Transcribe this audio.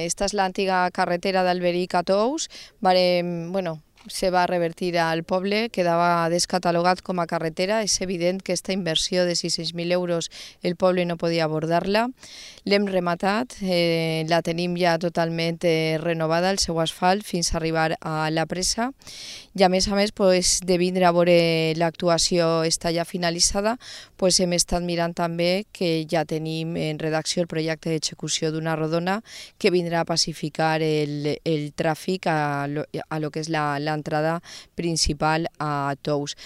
Esta és l'antiga carretera d'Alberic a Tous. Se va revertir al poble, quedava descatalogat com a carretera. És evident que aquesta inversió de 600.000 euros el poble no podia abordar-la. L'hem rematat, la tenim ja totalment renovada, el seu asfalt, fins a arribar a la presa. I a més, de vindre a veure l'actuació està ja finalitzada, hem estat mirant també que ja tenim en redacció el projecte d'execució d'una rodona que vindrà a pacificar el tràfic a lo que és l'entrada principal a Tous.